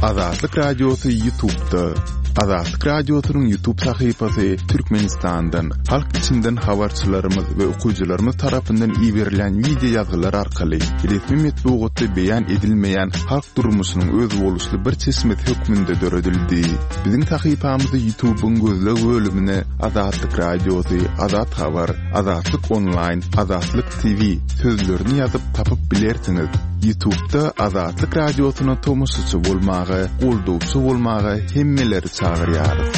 Azatlyk Radiosy Ýutubda. Azatlyk Radiosynyň Ýutub sahypasy Türkmenistandan, halk içinden habarçylarymyz we okyjylarymyz tarapyndan iberilýän wideo ýazgylar arkaly resmi metbugatda beýan edilmeýän halk durmuşynyň özboluşly bir çeşmesi hökmünde döredildi. Biziň sahypamyzy Ýutubyň gözleg bölümine Azatlyk Radiosy, Azat Habar, Azatlyk Onlaýn, Azatlyk TV sözlerini ýazyp tapyp bilersiňiz. Ýutubda Azatlyk Radiosyna tomaşaçy bolmaga, goldawçy bolmaga hemmeleri çagyrýarys.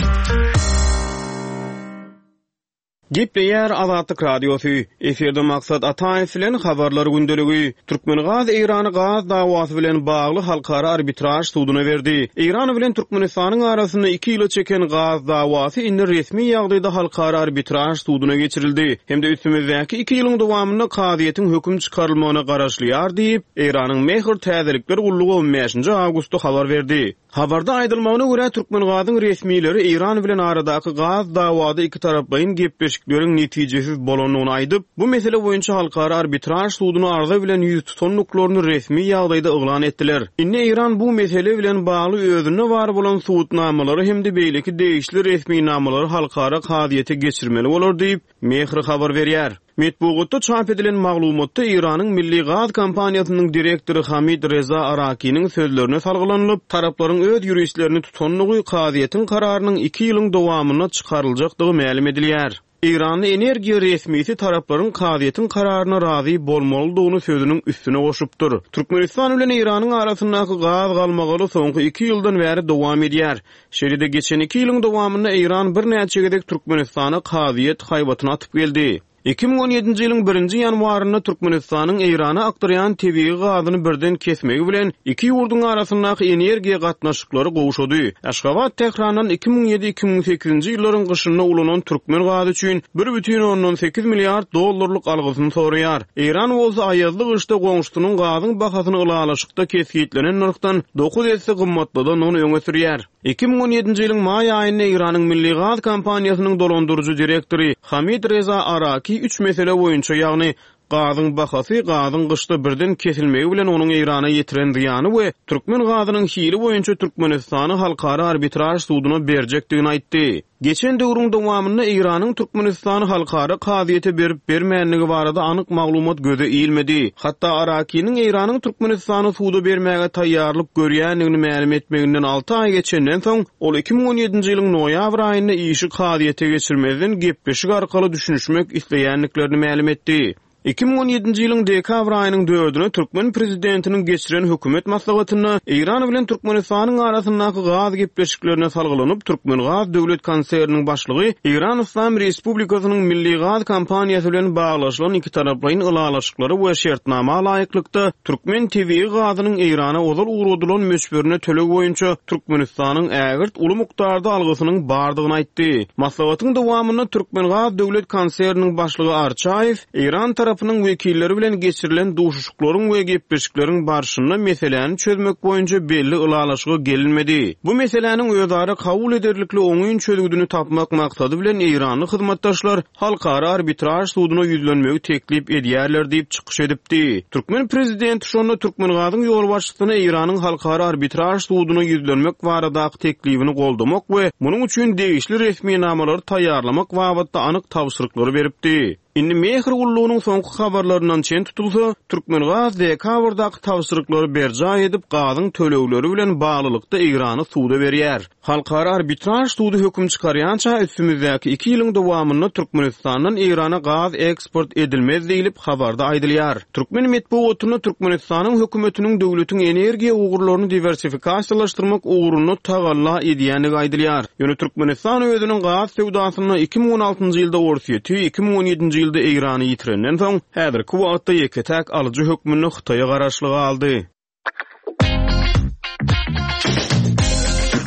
Gepleýär Azatlyk Radiosy, Efirde Maksat Ataýew bilen Habarlar gündeligi. Türkmengaz Eýrany gaz dawasy bilen bagly halkara arbitraž suduna berdi. Eýran bilen Türkmenistanyň arasynda iki ýyla çeken gaz dawasy indi resmi ýagdaýda halkara arbitraž suduna geçirildi hem-de üstümizdäki iki ýylyň dowamynda kazyýetiň höküm çykarylmagyna garaşylýar diýip, Eýranyň Mehr täzelikler gullugy on bäşinji awgustda habar berdi. Habarda aýdylmagyna görä, Türkmengazyň resmileri Eýran bilen aradaky gaz dawada ikitaraplaýyn gepleşikleriň netijesiz bolandygyny aýdyp, bu mesele boýunça Halkara arbitraž suduna arza bilen ýüz tutandyklaryny resmi ýagdaýda yglan etdiler. Indi Eýran bu mesele bilen bagly özünde bar bolan subutnamalary hem-de beýleki degişli resminamalary halkara kazyýete geçirmeli bolar diýip, Mehr habar berýär. Metbugatda çap edilen maglumatda Eýranyň Milli gaz kompaniýasynyň direktory Hamid Reza Arakiniň sözlerine salgylanylyp, taraplaryň öz ýuristlerini tutandygy, kazyýetiň kararynyň iki ýylyň dowamynda çykaryljakdygy mälim edilýär. Eýranly energiýa resmisi taraplaryň kazyýetiň kararyna razy bolmalydygyny sözüniň üstüne goşupdyr. Türkmenistan bilen Eýranyň arasyndaky gaz galmagaly soňky iki ýyldan bäri dowam edýär. Şeýle-de geçen iki ýylyň dowamynda Eýran birnäçe gezek Türkmenistana kazyýet haýbatyny atyp geldi. 2017-nji ýylyň birinji ýanwarynda Türkmenistanyň Eýrana akdyrýan tebigy gazyny birden kesmegi bilen iki ýurduň arasyndaky energiýa gatnaşyklary gowşady. Aşgabat Tährandan 2007 2008-nji ýyllaryň gyşynda ulanan türkmen gazy üçin bir bütin ondan sekiz milliard dollarlyk algysyny soraýar. Eýran bolsa aýazly gyşda goňşusynyň gazyň bahasyny ylalaşykda kesgitlenen nyrhdan dokuz esse gymmatladandygyny öňe sürýär. 2017-nji ýylyň maý aýynda Eýranyň Milli gaz kompaniýasynyň dolandyryjy direktory Hamid Reza Araki üç mesele boýunça, ýagny gazyň bahasy, gazyň gyşda birden kesilmegi bilen onuň Eýrana ýetiren zyýany we türkmen gazynyň hili boýunça Türkmenistany halkara arbitraž suduna berjekdigini aýtdy. Geçen döwrüň dowamynda Eýranyň Türkmenistany halkara kazyýete berip-bermändigi barada anyk maglumat göze ilmedi. Hatda Arakiniň Eýranyň Türkmenistany suda bermäge taýýarlyk görýändigini mälim etmeginden alty aý geçenden soň, ol 2017-nji ýylyň noýabr aýynda işi kazyýete geçirmezden gepleşik arkaly düşünişmek isleýändiklerini mälim etdi. 2017-nji ýylyň dekabr aýynyň dördüne türkmen prezidentiniň geçiren hökümet maslahatynda Eýran bilen Türkmenistanyň arasyndaky gaz gepleşiklerine salgylanyp, Türkmengaz döwlet konserniniň başlygy Eýran Yslam Respublikasynyň Milli gaz kompaniýasy bilen baglaşylan ikitaraplaýyn ylalaşyklara we şertnama laýyklykda türkmen tebigy gazynyň Eýrana ozal ugradylan möçberine töleg boýunça Türkmenistanyň ägirt uly mukdarda algysynyň bardygyny aýtdy. Maslahatyň dowamynda Türkmengaz döwlet konserniniň başlygy Arçaýew Eýran tarapynyň wekilleri bilen geçirilen duşuşyklaryň we gepleşikleriň barşynda meseläni çözmek boýunça belli ylalaşyga gelinmedi. Bu meseläniň özara kabul ederlikli oňyn çözgüdini tapmak maksady bilen eýranly hyzmatdaşlar halkara arbitraž suduna ýüzlenmegi teklip edýärler diýip çykyş edipdi. Türkmen prezidenti şonda Türkmengazyň ýolbaşçysyna Eýranyň halkara arbitraž suduna ýüzlenmek baradaky teklibini goldamak we munuň üçin degişli resminamalary taýýarlamak babatda anyk tabşyryklary beripdi. Indi Mehr gullugynyň soňky habarlaryndan çen tutulsa, Türkmengaz dekabrdaky tabşyryklary berjaý edip, gazyň tölegleri bilen baglylykda Eýrany suda berýär. Halkara arbitraž sudy höküm çykarýança üstümizdäki iki ýylyň dowamynda Türkmenistandan Eýrana gaz eksport edilmez diýlip, habarda aýdylýar. Türkmen metbugatynda Türkmenistanyň hökümetiniň döwletiň energiýa ugurlaryny diwersifikasiýalaşdyrmak ugrunda tagalla edýändigi aýdylýar. Ýöne Türkmenistan özüniň gaz söwdasynda 2016-njy ýylda Orsýeti, 2017-nji ýylda Eýrany ýitirenden soň, häzirki wagtda ýeke-täk alyjy hökmünde Hytaýa garaşly galdy.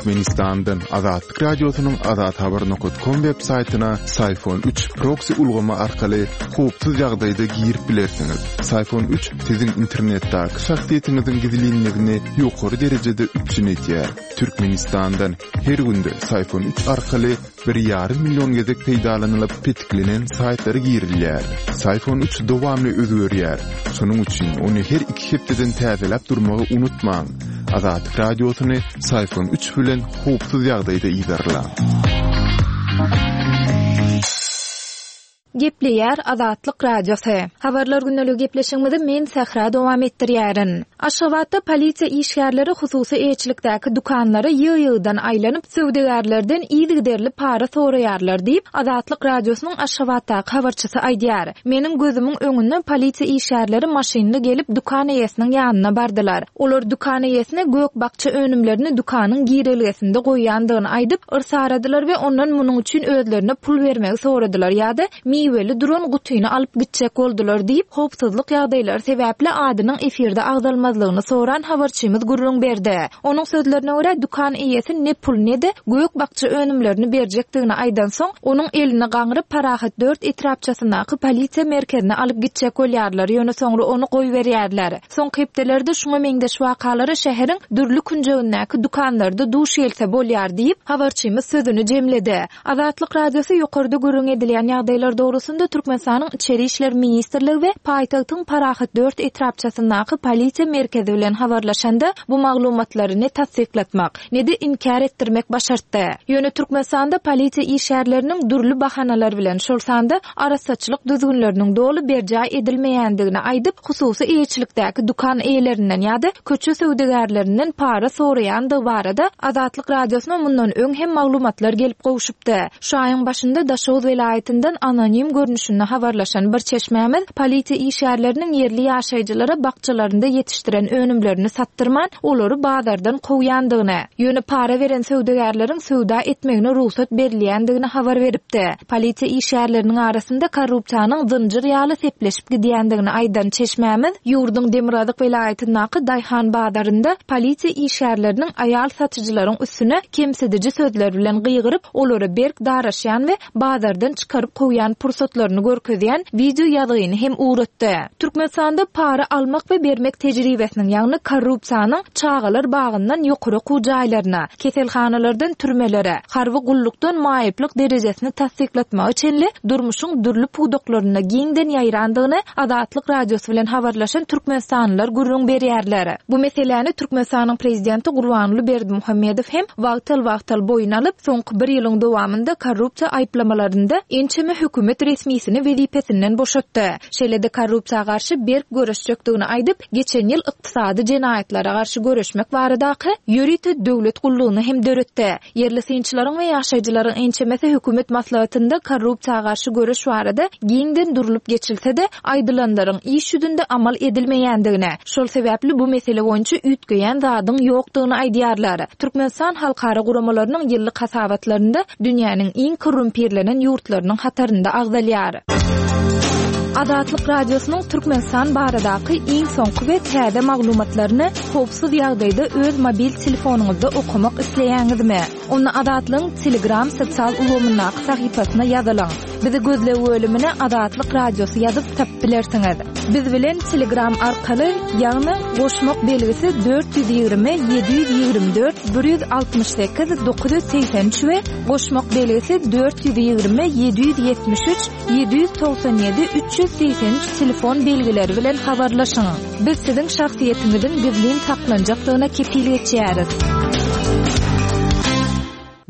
Türkmenistandan Azatlyk Radiosynyň Azathabar nokat kom web saýtyna Syfon 3 proksi ulgamy arkaly howpsuz ýagdaýda girip bilersiňiz. Syfon 3 siziň internetdäki şahsyýetiňiziň gizlinligini ýokary derejede üpjün edýär. Türkmenistandan her günde Syfon 3 arkaly bir ýarym million gezek peýdalanylyp petiklenen saýtlara girilýär. Syfon 3 dowamly özgerýär. Şonuň üçin ony her iki hepdeden täzeläp durmagy unutmaň. Azatlyk Radiosyny Saýfon üç bilen howpsuz ýagdaýda yzarlaň. Gepleýär Azatlyk Radiosy. Habarlar gündeligi gepleşigimizi men Sähra dowam etdirýärin. Aşgabatda polisiýa işgärleri hususy eýeçilikdäki dükanlara ýygy-ýygydan aýlanyp, söwdagärlerden yzygiderli para soraýarlar diýip, Azatlyk Radiosynyň Aşgabatdaky habarçysy aýdýar. Meniň gözümiň öňünde polisiýa işgärleri maşynly gelip dükan eýesiniň ýanyna bardylar. Olar dükan eýesine gök-bakja önümlerini dükanyň girelgesinde goýýandygyny aýdyp, yrsaradylar we ondan munuň üçin özlerine pul bermegi soradylar ýa-da miweli duran gutyny alyp gitjek boldular diýip, howpsuzlyk ýagdaýlary sebäpli adynyň efirde agzalmazlygyny soran habarçymyz gürrüň berdi. Onuň sözlerine görä, dükan eýesi ne pul, ne-de gök-bakja önümlerini berjekdigini aýdansoň, onuň elini gaňryp, Parahat dört etrapçasyndaky polisiýa merkezine alyp gitjek bolýarlar, ýöne soňra ony goýberýärler. Soňky hepdelerde şuňa meňzeş wakalara şäheriň dürli künjegindäki dükanlarda duş gelse bolýar diýip, habarçymyz sözüni jemledi. Azatlyk Radiosy ýokarda gürrüň edilýän ýagdaýlar dogrusynda Türkmenistanyň Içeri işler ministrligi we paýtagtyň Parahat dört etrapçasyndaky polisiýa merkezi bilen habarlaşanda, bu maglumatlary ne tassyklatmak, ne-de inkär etdirmek başartdy. Ýöne Türkmenistanda polisiýa işgärleriniň dürli bahanalar bilen, şol sanda arassaçylyk düzgünleriniň doly berjaý edilmeýändigini aýdyp, hususy eýeçilikdäki dükan eýelerinden ýa-da köçe söwdagärlerinden para soraýandygy barada Azatlyk Radiosyna mundan öň hem maglumatlar gelip gowşupdy. Şu aýyň başynda Daşoguz welaýatyndan anonim görnüşinde habarlaşan bir çeşmämiz polisiýa işgärleriniň ýerli ýaşaýjylara bakjalarynda ýetişdiren önümlerini satdyrman, olary bazardan kowýandygyny, ýöne para beren söwdagärleriň söwda etmegine rugsat berilýändigini habar beripdi. Polisiýa işgärleriniň arasynda korrupsiýanyň zynjyr ýaly sepleşip gidýändigini aýdan çeşmämiz, ýurduň demirgazyk welaýatyndaky daýhan bazarynda polisiýa işgärleriniň aýal satyjylaryň üstüne kemsidiji sözler bilen gygyryp, olara berk daraşýan we bazardan çykaryp kowýan pursatlaryny görkezýän wideo ýazgyny hem ugratdy. Türkmenistanda para almak we bermek tejribesiniň, ýagny korrupsiýanyň çagalar bagyndan ýokary okuw jaýlaryna, keselhanalardan türmelere, harby gullukdan maýyplyk derejesini tassyklatmaga çenli durmuşyň dürli pudaklarynda giňden ýaýrandygyny Azatlyk Radiosy bilen habarlaşan türkmenistanlylar gürrüň berýärler. Bu meseläni Türkmenistanyň prezidenti Gurbanguly Berdimuhamedow hem wagtal-wagtal boýun alyp, soňky bir ýylyň dowamynda korrupsiýa aýyplamalarynda ençeme hökümet resmisini wezipesinden boşatdy. Şeýle-de korrupsiýa garşy berk göreşjekdigini aýdyp, geçen ýyl ykdysady jenaýatlara garşy göreşmek baradaky ýörite döwlet gullugyny hem döretdi. Ýerli synçylaryň we ýaşaýjylaryň ençemesi hökümet maslahatynda korrupsiýa garşy göreş barada giňden durlup geçilse-de, aýdylanlaryň iş ýüzünde amal edilmeýändigini, şol sebäpli bu mesele boýunça üýtgeýän zadyň ýokdugyny aýdýarlar. Türkmenistan halkara guramalarynyň ýyllyk hasabatlarynda dünýäniň iň korrumpirlenen ýurtlarynyň hatarynda agzalýar. Azatlyk Radiosynyň Türkmenistan baradaky iň soňky we täze maglumatlaryny howpsuz ýagdaýda öz mobil telefonyňyzda okamak isleýäňizmi? Onda Azatlygyň Telegram sosial ulgamyndaky sahypasyna ýazylyň. Bizi gözleg bölümine Azatlyk Radiosy ýazyp tapyp bilersiňiz. Biz bilen Telegram arkaly, ýagny goşmak belgisi 420 724 168 983 we goşmak belgisi 420 773 797 383 telefon belgileri bilen habarlaşyň. Biz siziň şahsyýetiňiziň gizlin saklanjakdygyna kepil geçýäris.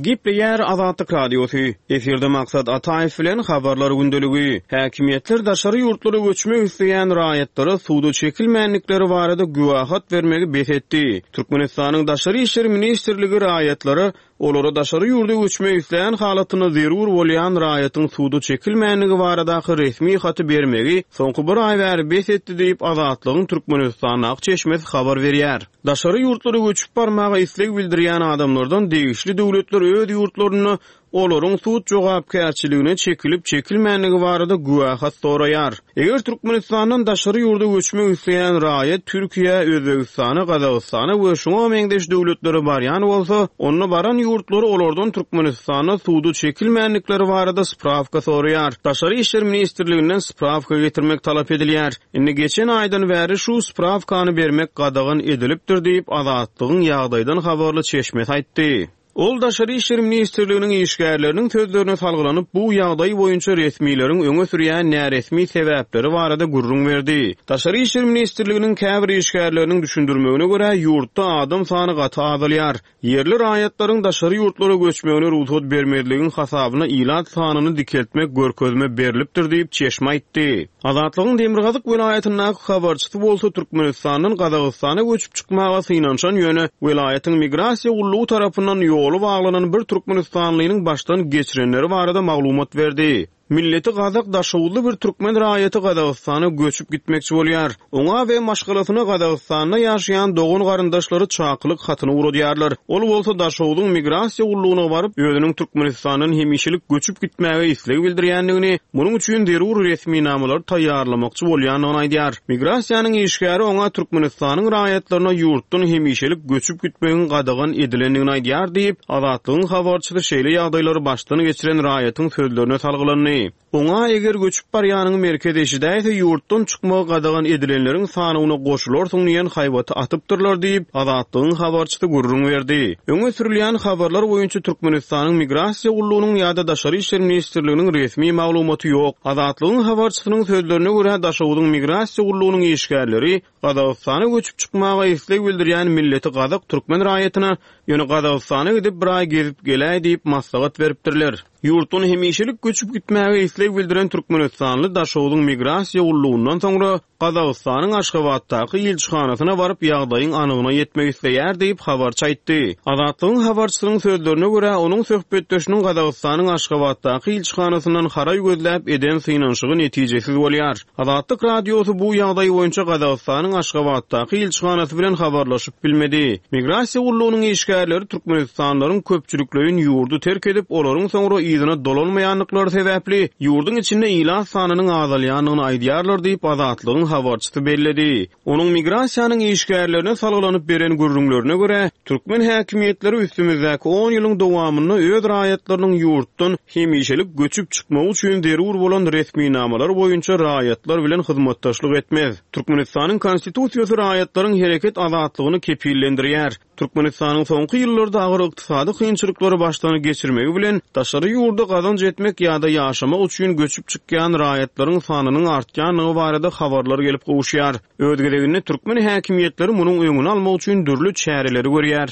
Gepleýär Azatlyk Radiosy, Efirde Maksat Ataýew bilen Habarlar gündeligi. Häkimiýetler daşary ýurtlara göçmek isleýän raýatlara suda çekilmändikleri barada güwähat bermegi bes etdi. Türkmenistanyň Daşary işler ministrligi raýatlara Olara daşary ýurda göçmek islän halatynda zerur bolýan raýatyň suda çekilmändigi baradaky resmi haty bermegi soňky bir aý bäri bes etdi diýip, Azatlygyň Türkmenistandaky çeşmesi habar berýär. Daşary ýurtlara göçüp barmaga isleg bildirýän adamlardan degişli döwletler öz ýurtlarynda olaryň sud jogapkärçiligine çekilip-çekilmändigi barada güwähat soraýar. Eger Türkmenistandan daşary ýurda göçmek isleýän raýat Türkiýä, Özbegistana, Gazagystana we şuňa meňzeş döwletlere barýan bolsa, onda baran ýurtlary olardan Türkmenistanda suda çekilmändikleri barada sprawka soraýar. Daşary işler ministrliginden sprawka getirmek talap edilýär. Indi geçen aýdan bäri şu sprawkany bermek gadagan edilipdir diýip, Azatlygyň ýagdaýdan habarly çeşmesi aýtdy. Ol Daşary işler ministrliginiň işgärleriniň sözlerine salgylanyp, bu ýagdaý boýunça resmileriň öňe sürýän näresmi sebäpleri barada gürrüň berdi. Daşary işler ministrliginiň käbir işgärleriniň düşündirmegine görä, ýurtda adam sany gaty azalýar. Ýerli raýatlaryň daşary ýurtlara göçmegine rugsat bermezligiň hasabyna ilat sanyny dikeltmek görkezme berlipdir diýip, çeşme aýtdy. Azatlygyň demirgazyk welaýatyndaky habarçysy bolsa Türkmenistandan Gazagystana göçüp çykmaga synanyşan, ýöne welaýatyň migrasiýa gullugy tarapyndan ýoly baglanan bir türkmenistanlynyň başdan geçirenleri barada maglumat berdi. Milleti gazak daşoguzly bir türkmen raýaty Gazagystana göçüp gitmekçi bolýar. Oňa we maşgalasyna Gazagystanda ýaşaýan dogan-garyndaşlary çakylyk hatyny ugradýarlar. Ol bolsa Daşogzuň migrasiýa gullugyna baryp, özüniň Türkmenistandan hemişelik göçüp gitmäge isleg bildirýändigini, munuň üçin zerur resminamalary taýýarlamakçy bolýandygyny aýdýar. Migrasiýanyň işgäri oňa Türkmenistanyň raýatlaryna ýurtdan hemişelik göçüp gitmegiň gadagan edilendigini aýdýar diýip, Azatlygyň habarçysy şeýle ýagdaýlary başdan geçiren raýatyň sözlerine salgylandy. Oňa eger göçüp barýanyňy merkez eşidäýse, ýurtdan çykmagy gadagan edilenleriň sanawyna goşularsyň diýen haýbaty atypdyrlar diýip, Azatlygyň habarçysy gürrüň berdi. Öňe sürülýän habarlar boýunça Türkmenistanyň Migrasiýa gullugynyň ýa-da Daşary işler ministrliginiň resmi maglumaty ýok. Azatlygyň habarçysynyň sözlerine görä, Daşoguzyň Migrasiýa gullugynyň işgärleri Gazagystana göçüp çykmaga isleg bildirýän milleti gazak türkmen raýatyna, ýöne Gazagystana gidip bir aý gezip geläý diýip maslahat beripdirler. Ýurtdan hemişelik göçüp gitmäge isleg bildiren türkmenistanly Daşogzuň migrasiýa gullugyndan soňra Gazagystanyň Aşgabatdaky ilçihanasyna baryp ýagdaýyň anygyna ýetmek isleýär diýip, habarçy aýtdy. Azatlygyň habarçysynyň sözlerine görä, onuň söhbetdeşiniň Gazagystanyň Aşgabatdaky ilçihanasyndan haraý gözläp eden synanyşygy netijesiz bolýar. Azatlyk Radiosy bu ýagdaý boýunça Gazagystanyň Aşgabatdaky ilçihanasy bilen habarlaşyp bilmedi. Migrasiýa gullugynyň işgärleri türkmenistanlylaryň köpçülikleýin ýurdy terk edip, olaryň soňra yzyna dolanmaýandyklary sebäpli, ýurduň içinde ilat sanynyň azalýandygyny aýdýarlar diýip, Azatlygyň habarçysy belledi. Onuň migrasiýanyň işgärlerine salgylanyp beren gürrüňlerine görä, türkmen häkimiýetleri üstümizdäki on ýylyň dowamynda öz raýatlarynyň ýurtdan hemişelik göçüp çykmagy üçin zerur bolan resminamalar boýunça raýatlar bilen hyzmatdaşlyk etmez. Türkmenistanyň Konstitusiýasy raýatlaryň hereket azatlygyny kepillendirýär. Türkmenistanyň soňky ýyllarda agyr ykdysady kynçylyklary başdan geçirmegi bilen, daşary ýurda gazanç etmek ýa-da ýaşamak üçin göçüp çykýan raýatlaryň sanynyň artýandygy barada habarlar gelip gowuşýar. Öz gezeginde türkmen häkimiýetleri munuň öňüni almak üçin dürli çäreleri görýär.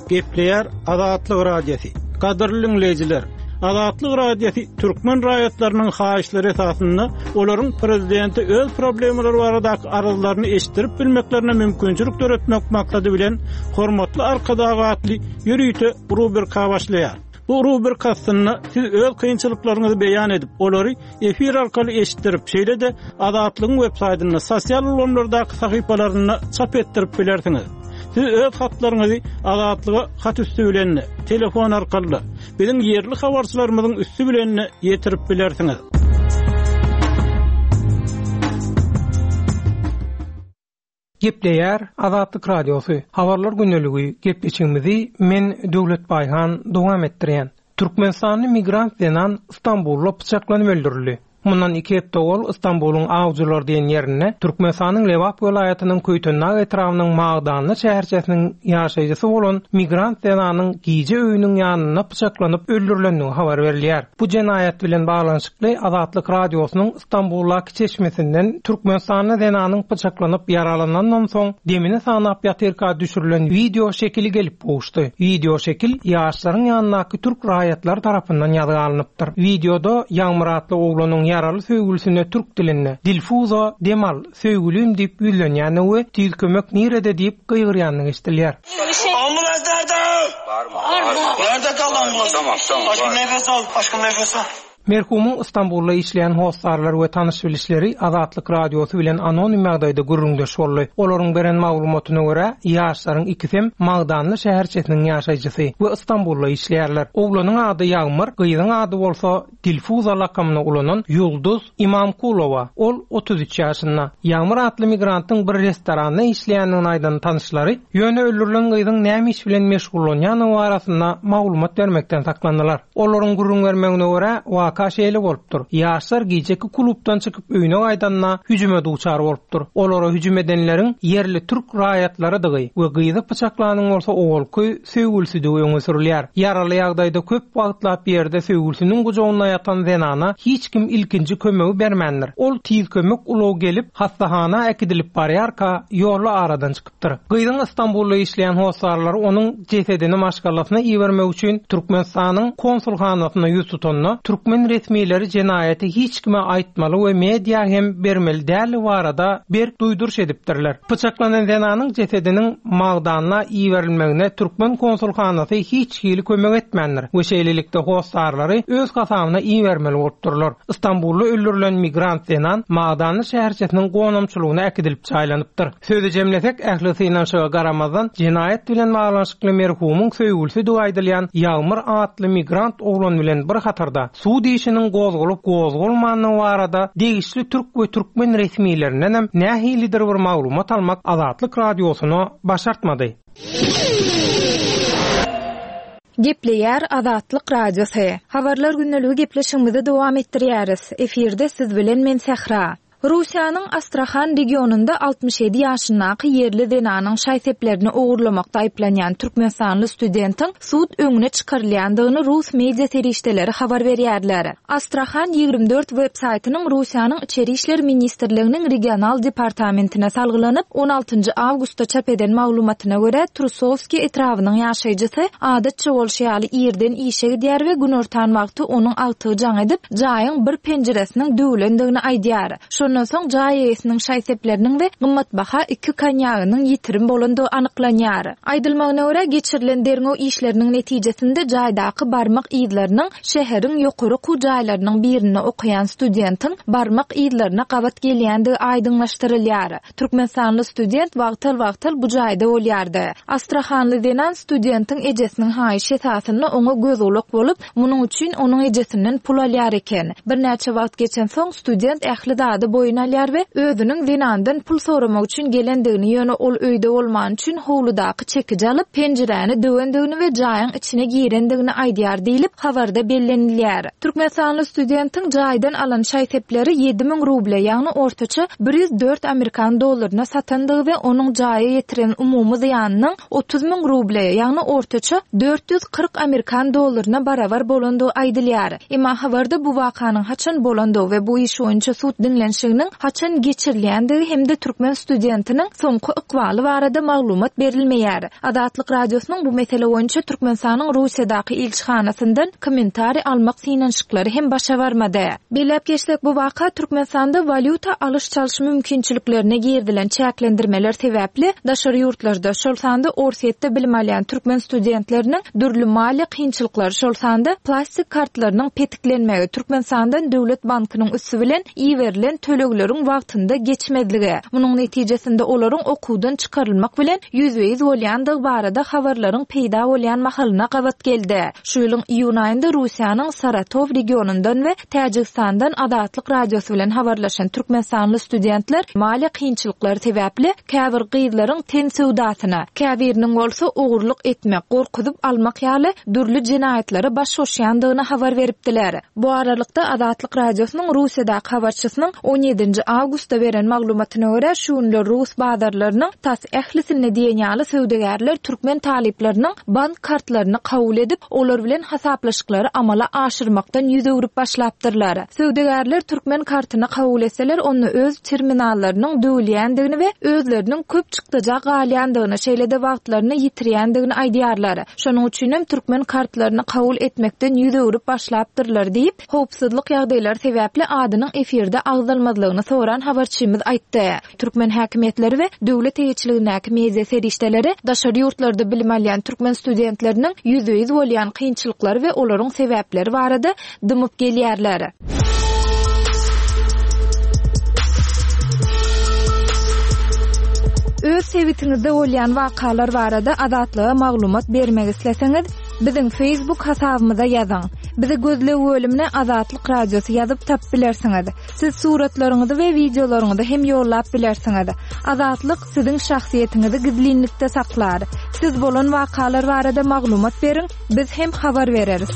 Gepleýär Azatlyk Radiosy. Gadyrly diňleýjiler! Azatlyk Radiosy türkmen raýatlarynyň haýyşlary esasynda olaryň prezidente öz problemalary baradaky arzlaryny eşitdirip bilmeklerine mümkinçilik döretmek maksady bilen Hormatly Arkadag atly ýörite rubrika başlaýar. Bu rubrika astynda siz öz kynçylyklaryňyzy beýan edip, olary efir arkaly eşitdirip, şeýle-de Azatlygyň web saýtynda, sosial ulgamlardaky sahypalarynda çap etdirip bilersiňiz. Siz öz hatlaryňyzy Azatlyga hat üsti bilen-de, telefon arkaly-da, biziň ýerli habarçylarymyzyň üsti bilen-de ýetirip bilersiňiz. Gepleýär Azatlyk Radiosy, Habarlar gündeligi gepleşigimizi men Döwlet Baýhan dowam etdirýän. Türkmenistanly migrant zenan Stambulda pyçaklanyp öldürildi. Mundan iki hepde owal Stambulyň Awjylar diýen ýerinde Türkmenistanyň Lebap welaýatynyň Köýtendag etrabynyň Magdanly şäherçesiniň ýaşaýjysy bolan migrant zenanyň gije öýüniň ýanynda pyçaklanyp öldürilendigi habar berilýär. Bu jenaýat bilen baglanyşykly Azatlyk Radiosynyň Stambuldaky çeşmesinden türkmenistanly zenanyň pyçaklanyp ýaralanandan soň demini sanap ýatyrka düşürilen wideo şekili gelip gowuşdy. Wideo şekil ýaşlaryň ýanyndaky türk raýatlary tarapyndan ýazga alnypdyr. Wideoda Ýagmyr atly oglanyň ýaraly söýgülisine türk dilinde, Dilfuza, dem al, söýgülim diýip ýüzlenýändigi we Tiz kömek nirede diýip gygyrýandygy eşidilýär. Ambulans nerede? Nerede kaldı ambulans? Aşkım nefes al, aşkım nefes al. Merhumyň Stambulda işleýän hossarlary we tanyş-bilişleri Azatlyk Radiosy bilen anonim ýagdaýda gürrüňdeş boldy. Olaryň beren maglumatyna görä, ýaşlaryň ikisem Magdanly şäherçesiniň ýaşaýjysy we Stambulda işleýärler. Oglanyň ady Ýagmyr, gyzyň ady bolsa Dilfuza lakamyny ulanan Ýulduz Imamkulowa. Ol 33 ýaşynda. Ýagmyr atly migrantyň bir restoranda işleýändigini aýdan tanyşlary, ýöne öldürilen gyzyň näme iş bilen meşgullanýandygy barasynda maglumat bermekden saklandylar. Olaryň gürrüň bermegine görä, waka. Waka şeýle bolupdyr. Ýaşlar gijeki klubdan çykyp öýüne gaýdanda hüjüme duçar bolupdyr. Olara hüjüm edenleriň ýerli türk raýatlarydygy we gyzy pyçaklanyň bolsa owalky söýgülisidigi öňe sürülýär. Ýaraly ýagdaýda köp wagtlap ýerde söýgülisiniň gujagynda ýatan zenana hiç kim ilkinji kömegi bermändir. Ol tiz kömek ulagy gelip, hassahana äkidilip barýarka, ýolda aradan çykypdyr. Gyzyň Stambulda işleýän hossarlary onuň jesedini maşgalasyna ibermek üçin Türkmenistanyň konsulhanasyna ýüz tutanda, türkmen resmileri jenaýaty hiç kime aýtmaly we media hem bermeli däldigi barada berk duýduryş edipdirler. Pyçaklanan zenanyň jesediniň Magdana iberilmegine türkmen konsulhanasy hiç hili kömek etmändir we şeýlelikde hossarlary öz hasabyna ibermeli bolupdyrlar. Stambulda öldürilen migrant zenan Magdanly şäherçesiniň gonamçylygyna äkidilip jaýlanypdyr. Sözi jemlesek, ähli synanyşyga garamazdan, jenaýat bilen baglanyşykly merhumyň söýgülisidigi aýdylýan Ýagmyr atly migrant oglan bilen bir hatarda, Sud işiniň gozgalyp gozgalmandygy barada degişli türk we türkmen resmilerindenem nähilidir bir maglumat almak Azatlyk Radiosyna başartmady. Gepleýär Azatlyk Radiosy. Habarlar gündeligi gepleşigimizi dowam etdirýäris. Efirde siz bilen men Sähra. Russiýanyň Astrahan regionynda 67 ýaşyndaky ýerli zenanyň şaý-seplerini ogurlamakda aýyplanýan türkmenistanly studentiň sud öňüne çykarylýandygyny rus media serişdeleri habar berýärler. Astrahan 24 web-saýtynyň Russiýanyň Içeri işler ministrliginiň regional departamentine salgylanyp, on altynjy awgustda çap eden maglumatyna görä, Trusowskiý etrabynyň ýaşaýjysy adatça bolşy ýaly irden işe gidýär we günortan wagty onuň agtygy jaň edip, jaýyň bir penjiresiniň döwlendigini aýdýar. Şondan soň jaý eýesiniň şaý-sepleriniň we gymmatbaha iki konýagynyň ýitirim bolandygy anyklanýar. Aýdylmagyna görä, geçirilen derňew işleriniň netijesinde jaýdaky barmak yzlarynyň şäheriň ýokary okuw jaýlarynyň birinde okaýan studentiň barmak yzlaryna gabat gelýändigi aýdyňlaşdyrylýar. Türkmenistanly student wagtal-wagtal bu jaýda bolýardy. Astrahanly zenan studentiň ejesiniň haýyşy esasynda oňa göz-gulak bolup, munuň üçin onuň ejesinden pul alýar eken. Birnäçe wagt geçensoň, student ähli zady boýun alýar we özüniň zenandan pul soramak üçin gelendigini, ýöne ol öýde bolmany üçin howludaky çekiji alyp, penjiräni döwendigini we jaýyň içine girendigini aýdýar diýlip, habarda bellenilýär. Türkmenistanly studentiň jaýdan alan şaý-sepleri 7000 ruble, ýagny ortaça 104 amerikan dollaryna satandygy we onuň jaýa ýetiren umumy zyýanynyň 30 müň ruble, ýagny ortaça 440 amerikan dollaryna barabar bolandygy aýdylýar. Emma habarda bu wakanyň haçan bolandygy we bu iş boýunça sud diňlenişiginiň haçan geçirilýändigi hem-de türkmen studentiniň soňky ykbaly barada maglumat berilmeýär. Azatlyk Radiosynyň bu mesele boýunça Türkmenistanyň Russiýadaky ilçihanasyndan kommentariý almak synanyşyklary hem başa barmady. Belläp geçsek, bu waka Türkmenistanda walýuta alyş-çalyş mümkinçiliklerine girizilen çäklendirmeler sebäpli daşary ýurtlarda, şol sanda Orsýetde bilim alýan türkmen studentleriniň dürli maliýe kynçylyklary, şol sanda plastik kartlarynyň petiklenmegi, Türkmenistandan döwlet bankynyň üsti bilen iberilen tölegleriň wagtynda geçmezligi, munuň netijesinde olaryň okuwdan çykarylmak bilen ýüzbe-ýüz bolýandygy barada habarlaryň peýda bolýan mahalyna gabat geldi. Şu ýylyň iýun aýynda Russiýanyň Saratow regionyndan we Täjigistandan Azatlyk Radiosy bilen habarlaşan türkmenistanly studentler maliýe kynçylyklary sebäpli käbir gyzlaryň ten söwdasyna, käbiriniň bolsa ogurlyk etmek, gorkuzyp almak ýaly dürli jenaýatlara baş goşýandygyny habar beripdiler. Bu aralykda, Azatlyk Radiosynyň Russiýadaky habarçysynyň on ýedinji awgustda beren maglumatyna görä, şu günler rus bazarlarynyň tas ählisinde diýen ýaly söwdagärler türkmen talyplarynyň bank kartlaryny kabul edip, olar bilen hasaplaşyklary amala aşyrmakdan ýüz öwrüp başlapdyrlar. Söwdagärler türkmen kartyny kabul etseler, onda öz terminallarynyň döwülýändigini we özleriniň köp çykdaja galýandygyny, şeýle-de wagtlaryny ýitirýändigini aýdýarlar. Şonuň üçinem türkmen kartlaryny kabul etmekden ýüz öwrüp başlapdyrlar diýip, howpsuzlyk ýagdaýlary sebäpli adynyň efirde agzalmazlygyny soran habarçymyz aýtdy. Türkmen häkimiýetleri we döwlet eýeçiligindäki media serişdeleri daşary ýurtlarda bilim alýan türkmen studentleriniň ýüzbe-ýüz bolýan kynçylyklary we olaryň sebäpleri barada dymyp gelýärler. Öz sebitiňizde bolýan wakalar barada Azatlyga maglumat bermek isleseňiz, biziň Facebook hasabymyza ýazyň. Bizi gözleg bölümine Azatlyk Radiosy ýazyp tapyp bilersiňiz. Siz suratlaryňyzy we wideolaryňyzy hem ýollap bilersiňiz. Azatlyk siziň şahsyýetiňizi gizlinlikde saklar. Siz bolan wakalar barada maglumat beriň, biz hem habar bereris.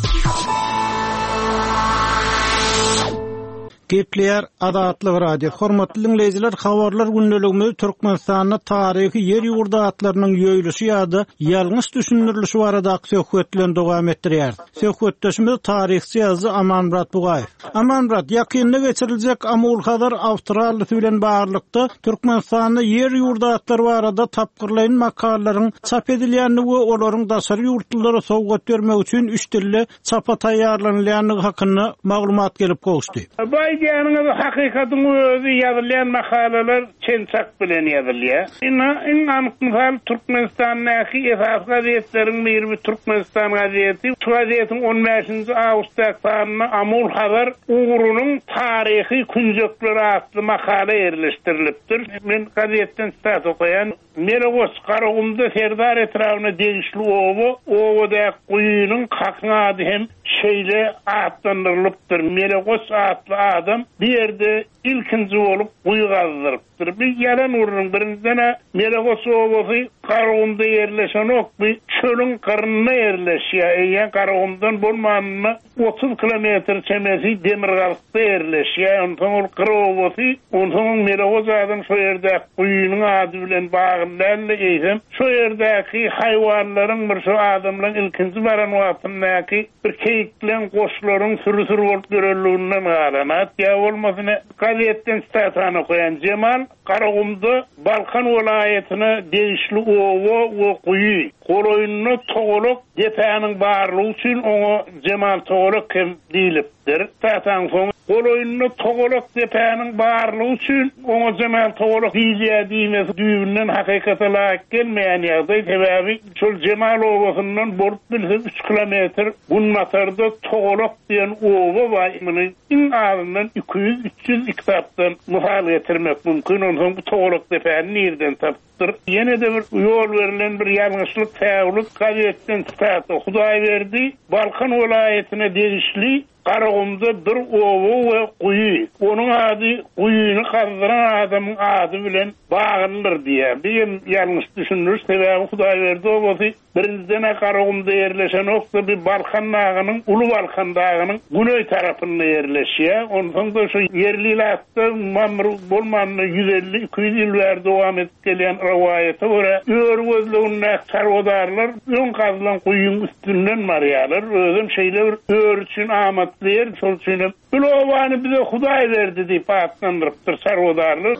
Gepleýär Azatlyk Radiosy. Hormatly diňleýjiler, habarlar gündeligimizi Türkmenistanda taryhy ýer-ýurt atlarynyň ýoýluşy ýa-da ýalňyş düşündirilişi baradaky söhbet bilen dowam etdirýäris. Söhbetdeşimiz taryhçy ýazyjy Amanmyrat Bugaýew. Amanmyrat, ýakynda geçiriljek Amul-Hazar awtorallisy bilen baglylykda Türkmenistanda ýer-ýurt atlary barada tapgyrlaýyn makalalaryň çap edilýändigi we olaryň daşary ýurtlulara sowgat bermek üçin üç dilde çapa taýýarlanylýandygy hakynda maglumat gelip gowuşdy. Bu aýdýanyňyz hakykatyň özi ýazylýan makalalar çen-çak bilen ýazylýar. Ynha, iň anyk mysal Türkmenistandaky esasy gazetleriň biri bu Türkmenistan gazeti. Şu gazetiň on bäşinji awgustdaky sanynda Amul-Hazar ugrunyň taryhy künjekleri atly makala ýerleşdirilipdir. Men gazetden sitat okaýan. Melegoç, Garagumda Serdar etrabyna degişli oba, obadaky guýynyň kakyň ady hem şeýle atlandyrylypdyr. Melegoç atly adam bu ýerde ilkinji bolup guýy gazdyrypdyr. Bu ýalan gürrüň. Birinjiden-ä Melegoç obasy Garagumda ýerleşenok, bu çölüň gyrynda ýerleşýär. Eýýäm Garagumdan bolmanynda 30 kilometr çemesi demirgazykda ýerleşýär. Onsoň ol gyr obasy, onsoňam Melegoz adam şo ýerdäki guýynyň ady bilen bagly däl-de, eýsem, şo ýerdäki haýwanlaryň bir şo adamlaryň ilkinji baran wagtyndaky bir keýikleň, goçlaryň süri-süri bolup ýörenliginden galan at. Ýa bolmasa ine, gazetden sitatany okaýan, Jemal Garagumda Balkan welaýatyna degişli oba we guýy. Golaýynda togalak depäniň barlygy üçin oňa Jemal togalak hem diýlipdir. Sitataň soňy Golaýynda togalak depäniň barlygy üçin oňa Jemal togalak diýilýär diýmesi düýbünden hakykata laýyk gelmeýän ýagdaý. Sebäbi şol Jemal obasyndan bolup bilse üç kilometr günbatarda Togalak diýen oba bar. Muny Iň azyndan 200, 300 kitapdan mysal getirmek mümkin. Onsoň bu togalak depäni nirden tapypdyr? Ýene-de bir ýol berlen bir ýalňyşlyk, säwlik, gazetden sitata, Hudaýberdi Balkan welaýatyna degişli Garagumda bir oba we guýy. Onuň ady guýyny gazdyran adamyň ady bilen baglydyr diýýär. Bu hem ýalňyş düşündiriş, sebäbi Hudaýberdi obasy Birinjiden-ä Garagumda ýerleşenok-da, bir Balkan dagynyň, Uly Balkan dagynyň güneý tarapynda ýerleşýär. Onsoň-da şu ýerli ilatda mamr bolmanda 150, 200 ýyl bäri dowam edip gelýän rowaýata görä, öri gözlegindäki çarwadarlar öň gazylan guýyň üstünden barýarlar. Özem şeýle bir öri üçin amatly ýer, şol üçin hem Bul obany bize Hudaý berdi diýip atlandyrypdyr çarwadarlar.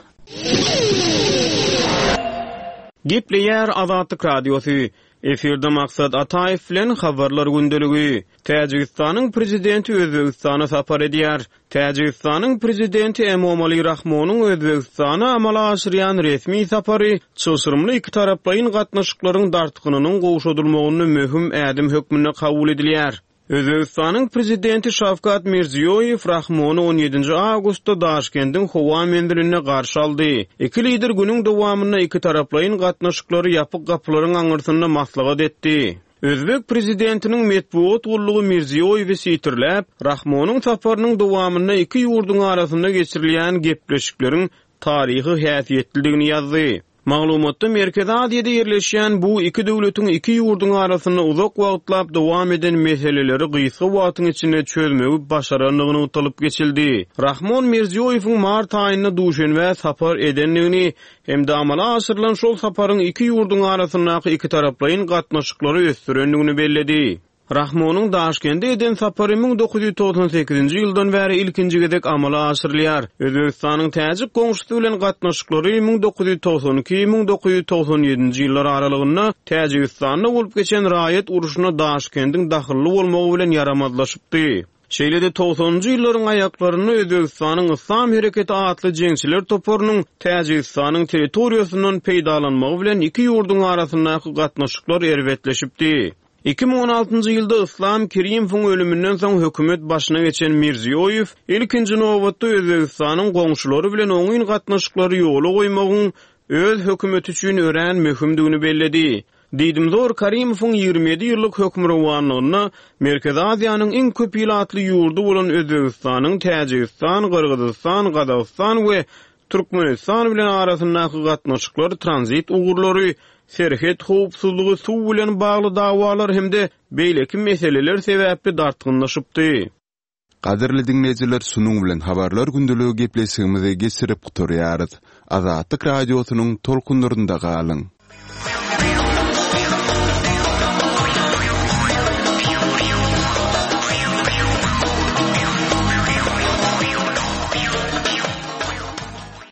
Gepleýär Azatlyk Radiosy, Efirde Maksat Ataýew bilen Habarlar gündeligi. Täjigistanyň Prezidenti Özbegistana sapar edýär. Täjigistanyň Prezidenti Emomali Rahmonyň Özbegistana amala aşyrýan resmi sapary çylşyrymly ikitaraplaýyn gatnaşyklaryň dartgynynyň gowşadylmagynda möhüm ädim hökmünde kabul edilýär. Özbegistanyň Prezidenti Şawkat Mirziýoýew Rahmony on ýedinji awgustda Daşkendiň howa menzilinde garşy aldy. Iki lider günüň dowamynda ikitaraplaýyn gatnaşyklary ýapyk gapylaryň aňyrsynda maslahat etdi. Özbek Prezidentiniň metbugat gullugy Mirziýoýewi sitirläp, Rahmonyň saparynyň dowamynda iki ýurduň arasynda geçirilýän gepleşikleriň taryhy häsiýetlidigini ýazdy. Maglumatda Merkezi Aziýada ýerleşýän bu iki döwletiň iki ýurduň arasynda uzak wagtlap dowam eden meseleleri gysga wagtyň içinde çözmegi başarandygy nygtalyp geçildi. Rahmon Mirziýoýewiň mart aýynda Duşenbä sapar edendigini hem-de amala aşyrylan şol saparyň iki ýurduň arasyndaky ikitaraplaýyn gatnaşyklary ösdürendigini belledi. Rahmonyň Daşkende eden sapary 1998-nji ýyldan bäri ilkinji gezek amala aşyrylýar. Özbegistanyň täjik goňşusy bilen gatnaşyklary 1992, 1997-nji ýyllar aralygynda Täjigistanda bolup geçen raýat urşuna Daşkendiň dahylly bolmagy bilen ýaramazlaşypdy. Şeýle-de togsanynjy ýyllaryň aýaklarynda Özbegistanyň Yslam hereketi atly jeňçiler toparynyň Täjigistanyň territoriýasyndan peýdalanmagy bilen iki ýurduň arasyndaky gatnaşyklar erbetleşipdi. 2016-njy ýylda Yslam Kerimowyň ölüminden soň hökümet başyna geçen Mirziýoýew ilkinji nobatda Özbegistanyň goňşulary bilen oňyn gatnaşyklary ýola goýmagyň öz hökümeti üçin örän möhümdigini belledi. Diýdimzor Karimowyň 27 ýyllyk hökmürowanlygynda Merkezi Aziýanyň iň köp ilatly ýurdy bolan Özbegistanyň Täjigistan, Gyrgyzystan, Gazagystan we Türkmenistan bilen arasyndaky gatnaşyklar tranzit ugurlary, serhet howpsuzlygy, suw bilen bagly dawalar hem-de beýleki meseleler sebäpli dartgynlaşypdy. Gadyrly diňleýjiler şunuň bilen Habarlar gündeligi gepleşigimizi geçirip gutarýarys. Azatlyk Radiosynyň tolkunlarynda galyň.